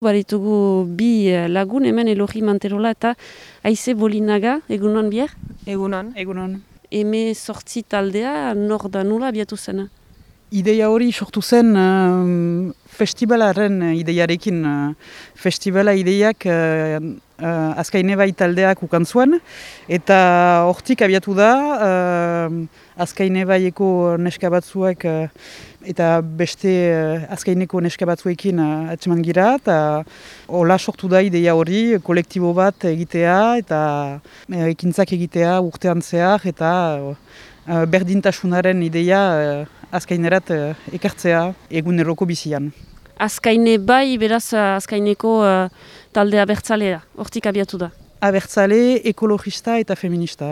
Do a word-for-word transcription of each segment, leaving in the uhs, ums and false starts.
Baritugu bi lagun hemen Elogi Manterola eta Aize Bolinaga, egunon bier? Egunon. Egunon. Eme sortzi taldea, nor da nula abiatu zena? Ideia hori sortu zen uh, festivalaren ideiarekin. Uh, festivala ideiak uh, uh, Azkaine bai taldeak ukan zuen, eta hortik abiatu da, uh, Azkaine baieko neska batzuek uh, eta beste uh, Azkaineko neska batzuekin uh, atseman gira, eta hola sortu da ideia hori, kolektibo bat egitea, eta uh, ekintzak egitea urtean zehar, eta uh, berdintasunaren ideia uh, Azkainerat uh, ekartzea eguneroko bizian. Azkaine bai, beraz Azkaineko uh, taldea abertzalea, hortik abiatu da. Abertzale, ekologista eta feminista.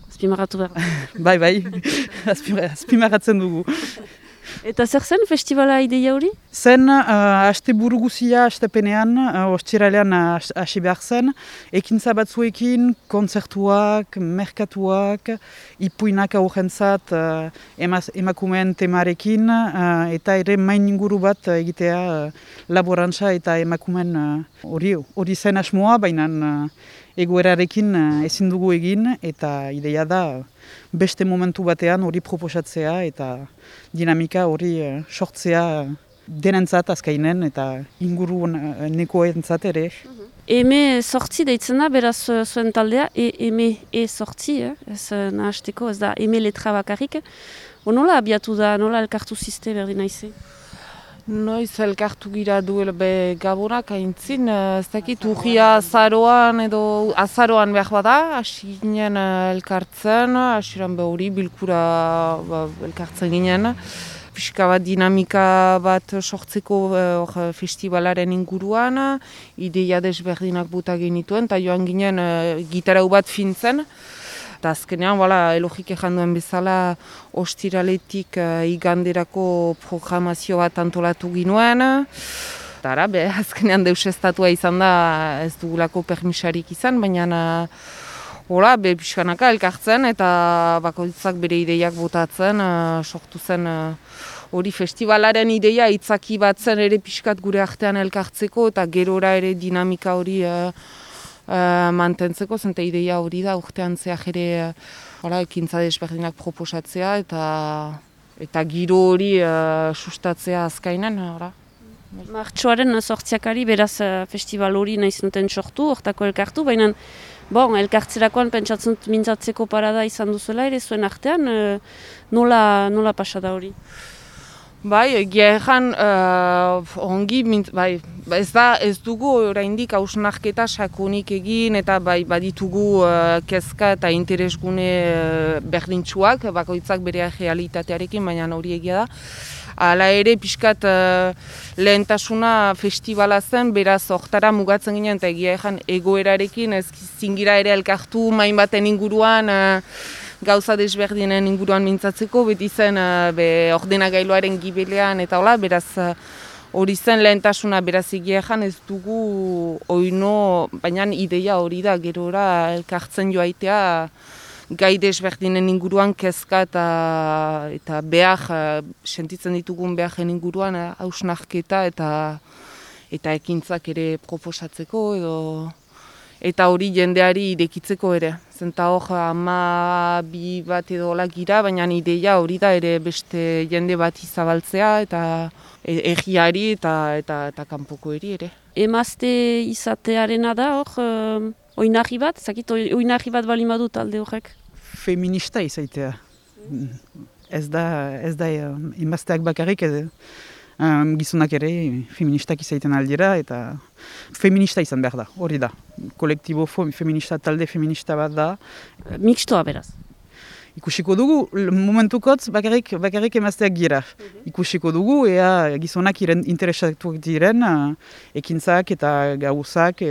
Azpimarratu behar. bai, bai, azpimarratzen dugu. Eta zer zen festivala ideia hori? Zen, uh, aste buru guzia, astepenean, uh, ostiralean hasi behar zen, ekintza batzuekin, kontzertuak, merkatuak, ipuinak aurrentzat, uh, emaz, emakumeen temarekin, uh, eta ere main inguru bat egitea uh, laborantza eta emakumeen hori uh, hori zen asmoa, baina uh, egoerarekin uh, ezin dugu egin, eta ideia da beste momentu batean hori proposatzea eta dinamika hori uh, sortzea denentzat Azkainen eta inguru uh, nekoentzat ere. Eme sortzi deitzen da, beraz zuen taldea, e, eme e sortzi, eh? Ez nahasteko, ez da eme letra bakarrik. O nola abiatu da, nola elkartu ziste berdin aize? Noiz elkartu gira duela be gabonak aintzin, ez dakit urria azaroan edo azaroan behar bada, hasi ginen elkartzen, hasiran be hori bilkura ba, elkartzen ginen. Pixka bat dinamika bat sortzeko uh, festivalaren inguruan, ideia desberdinak buta genituen, eta joan ginen uh, gitarau bat fintzen. Eta azkenean, voilà, Elogik ejan duen bezala, ostiraletik uh, iganderako programazio bat antolatu ginuen. Eta ara, be, azkenean deusestatua izan da, ez dugulako permisarik izan, baina uh, hola, be, pixkanaka elkartzen eta bakoitzak bere ideiak botatzen, uh, sortu zen hori uh, festivalaren ideia itzaki bat zen ere pixkat gure artean elkartzeko eta gerora ere dinamika hori uh, uh, mantentzeko, zente ideia hori da urtean zehar ere uh, ekintza desberdinak proposatzea eta eta giro hori uh, sustatzea Azkainen. Ora. Martxoaren sortziakari beraz festival hori nahi zenuten sortu, hortako elkartu, baina bon, elkartzerakoan pentsatzen mintzatzeko parada izan duzuela ere zuen artean, e, nola, nola pasada hori? Bai, egia egan uh, ongi, mint, bai, ez da ez dugu oraindik hausnarketa sakonik egin eta bai baditugu uh, kezka eta interesgune uh, berdintsuak, bakoitzak bere realitatearekin, baina hori egia da. Hala ere, pixkat uh, lehentasuna festivala zen, beraz hortara mugatzen ginen, eta egia egan egoerarekin, ez zingira ere elkartu main baten inguruan, uh, gauza desberdinen inguruan mintzatzeko, beti zen uh, be, ordenagailuaren gibelean, eta hola, beraz hori uh, zen lehentasuna, beraz egia egan ez dugu oino, baina ideia hori da, gerora elkartzen joaitea, gai desberdinen inguruan kezka eta, eta behar, sentitzen ditugun beharren inguruan hausnarketa eta, eta ekintzak ere proposatzeko edo eta hori jendeari irekitzeko ere. Zenta hor ama bi bat edo hola gira, baina ideia hori da ere beste jende bat izabaltzea eta egiari eta, eta, eta kanpoko eri ere. Emazte izatearena da hor, uh, oinarri bat, zakit oinarri bat bali badu talde horrek? Feminista izaitea. Ez da, ez da emazteak bakarrik, ez, um, gizonak ere feministak izaiten aldera, eta feminista izan behar da, hori da. Kolektibo feminista, talde feminista bat da. Mixtoa beraz? Ikusiko dugu, momentukotz bakarrik, bakarrik emazteak gira. Ikusiko dugu, ea gizonak interesatuak diren, uh, ekintzak eta gauzak,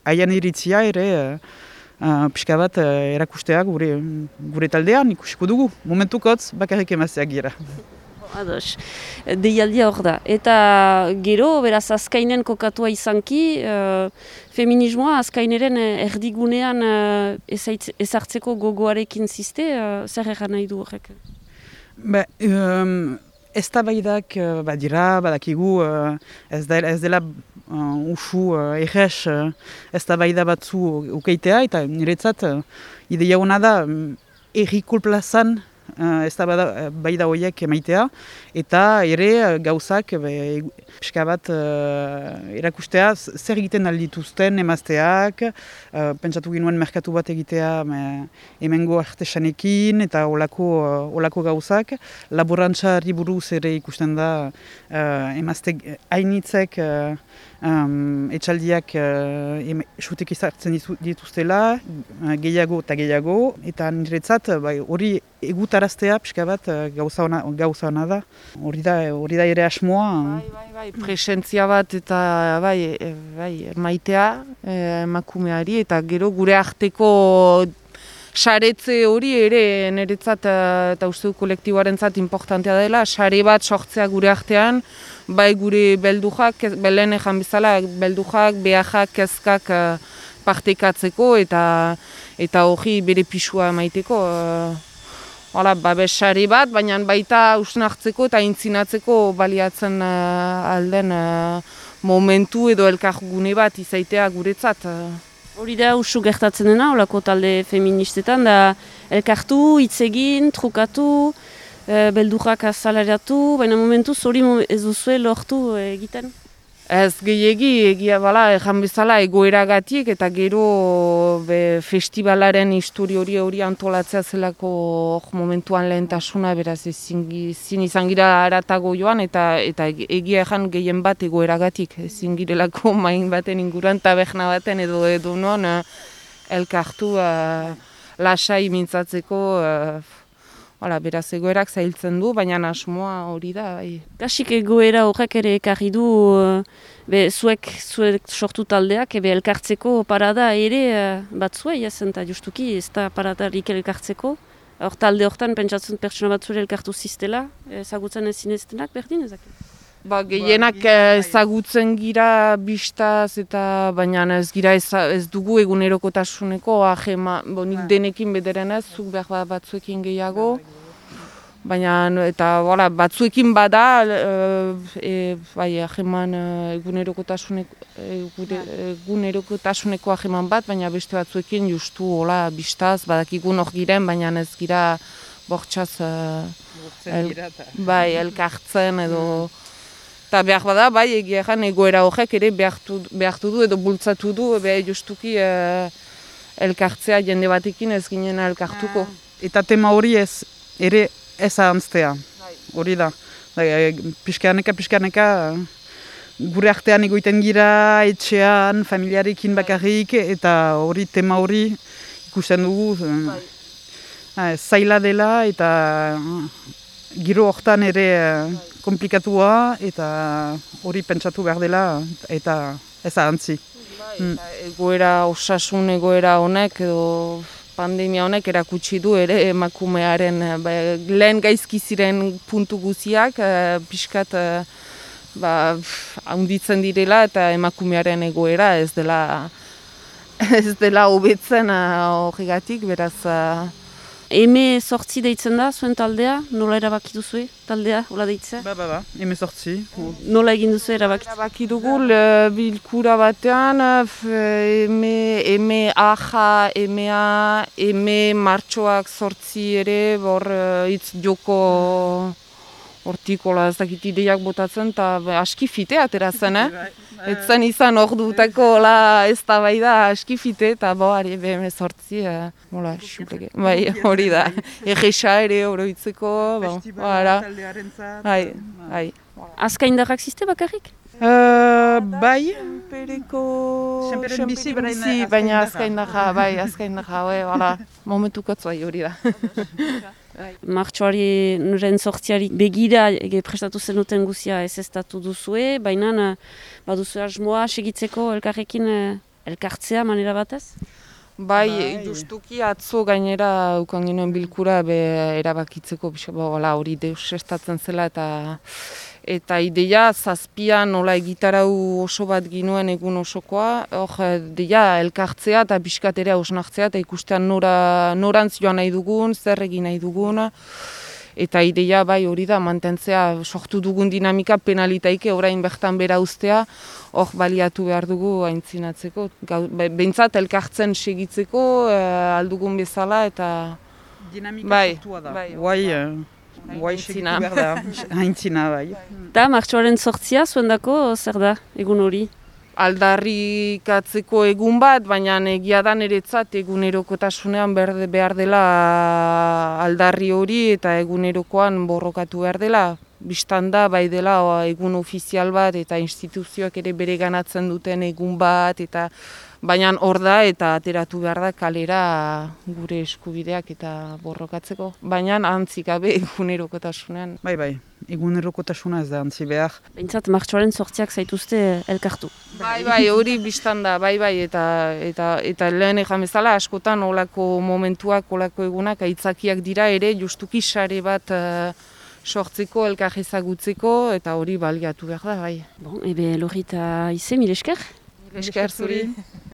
haien iritzia ere, uh, uh, pixka bat uh, erakustea gure, gure taldean, ikusiko dugu. Momentukotz bakarrik emazteak gira. Ados, deialdia hor da. Eta gero, beraz, Azkainen kokatua izanki, uh, feminismoa Azkaineren erdigunean uh, ezartzeko gogoarekin ziste, uh, zer egan nahi du horrek? Ba, um, eztabaidak uh, badira, badakigu uh, ez, da, ez dela uh, usu uh, erres uh, eztabaida batzu ukeitea, eta niretzat uh, ideia hona da um, errikul plazan Uh, ez da bada, baida horiek emaitea, eta ere uh, gauzak pixka bat uh, erakustea zer egiten aldituzten emazteak, uh, pentsatu ginuen merkatu bat egitea me, hemengo artesanekin eta olako, uh, olako gauzak. Laborantzari buruz ere ikusten da uh, emazte hainitzek uh, um, etxaldiak uh, sutek izartzen dituztela, uh, gehiago eta gehiago, eta niretzat hori bai, egutaraztea pixka bat gauza ona, gauza ona da. Hori da, hori da ere asmoa. Bai, bai, bai, presentzia bat eta bai, bai, maitea emakumeari eta gero gure arteko saretze hori ere niretzat eta uste du kolektiboarentzat importantea dela, sare bat sortzea gure artean, bai gure beldujak, belen ejan bezala, beldujak, behajak, kezkak partekatzeko eta eta hori bere pisua maiteko. Hala, babesari bat, baina baita usnartzeko eta intzinatzeko baliatzen uh, alden uh, momentu edo elkargune bat izaitea guretzat. Hori da usu gertatzen dena, holako talde feministetan, da elkartu, hitz egin, trukatu, uh, beldurrak azalaratu, baina momentuz hori ez duzue lortu uh, egiten? Ez gehiegi, egia bala, ejan bezala egoeragatik eta gero be, festivalaren histori hori hori antolatzea zelako momentuan lehentasuna, beraz ezin izan gira aratago joan eta eta egia ejan gehien bat egoeragatik, ezin girelako main baten inguruan taberna baten edo edo non elkartu uh, lasai mintzatzeko. Uh, Hala, beraz egoerak zailtzen du, baina asmoa hori da. Bai. Kasik egoera horrek ere ekarri du, be, zuek, zuek sortu taldeak, ebe elkartzeko parada ere bat zuei, ezen, eta justuki ez da paradarik elkartzeko. Hor talde hortan pentsatzen pertsona bat zure elkartu ziztela, ezagutzen ez zineztenak berdin ezak? Ba, gehienak ezagutzen gira bistaz eta baina ez gira ez, ez dugu egunerokotasuneko ahema, bo, nik denekin bederen ez, zuk behar batzuekin gehiago. Baina eta voilà, batzuekin bada e, bai, aheman egunerokotasuneko, egunerokotasuneko aheman bat, baina beste batzuekin justu hola bistaz, badakigun hor giren, baina ez gira bortxaz el, bai, elkartzen edo. Eta behar bada, bai, egia egan egoera horrek ere behartu, behartu du edo bultzatu du, be justuki uh, elkartzea jende batekin ez ginen elkartuko. Eta tema hori ez, ere ez ahantztea, hori da. Piskaneka, piskaneka, gure artean egoiten gira, etxean, familiarekin bakarrik, eta hori tema hori ikusten dugu. Uh, zaila dela eta uh, giro hortan ere uh, komplikatua eta hori pentsatu behar dela eta ez ahantzi. Mm. Egoera osasun egoera honek edo pandemia honek erakutsi du ere emakumearen ba, lehen gaizki ziren puntu guziak uh, pixkat uh, ba, handitzen direla eta emakumearen egoera ez dela ez dela hobetzen horregatik, uh, beraz. Uh, Eme sortzi deitzen da, zuen taldea? Nola erabaki duzue taldea, hola deitzea? Ba, ba, ba, eme sortzi. Nola egin duzu erabaki? Erabaki dugu, bilkura batean, eme, eme aja, emea, eme martxoak sortzi ere, hor hitz joko hortikola ez dakit ideiak botatzen, eta aski fite ateratzen, eh? Ez zen izan hor dutako ez da bai da aski fite, eta bo, ari beheme sortzi, mola, xupleke, bai, hori da, egesa ere oroitzeko, festivala taldearentzat. Bai, bai. Azkaindarrak ziste bakarrik? Uh, bai. Senpereko... Senperen bizi, baina azkaindarra, bai, azkaindarra, bai, hala, momentukotz bai hori da. Martxoari nuren sortziari begira ege prestatu zenuten guzia ez eztatu duzue, baina baduzu asmoa segitzeko elkarrekin elkartzea manera batez? Bai, bai, justuki atzo gainera ukan ginen bilkura be erabakitzeko hori deus estatzen zela eta eta ideia zazpian nola egitarau oso bat ginuen egun osokoa, hor deia elkartzea eta pixkatera osnartzea eta ikustean nora, norantz joan nahi dugun, zer egin nahi dugun, eta ideia bai hori da mantentzea sortu dugun dinamika penalitaike orain bertan bera ustea, hor baliatu behar dugu aintzinatzeko, behintzat elkartzen segitzeko uh, aldugun bezala eta dinamika bai, sortua da. Bai, Guai, uh, guai segitu behar da, haintzina bai. Da, martxoaren sortzia zuendako zer da egun hori? Aldarrikatzeko egun bat, baina egia da niretzat egunerokotasunean behar dela aldarri hori eta egunerokoan borrokatu behar dela. Bistan da, bai dela egun ofizial bat eta instituzioak ere bere ganatzen duten egun bat, eta baina hor da eta ateratu behar da kalera gure eskubideak eta borrokatzeko. Baina antzik gabe egunerokotasunean. Bai, bai, egunerokotasuna ez da antzi behar. Behintzat martxoaren sortziak zaituzte elkartu. Bai, bai, hori bistan da, bai, bai, eta, eta, eta lehen egan bezala askotan olako momentuak, olako egunak aitzakiak dira ere justuki sare bat uh, sortzeko, elkar ezagutzeko, eta hori baliatu behar da, bai. Bon, ebe Lorita Ize, mil esker? Mil esker zuri.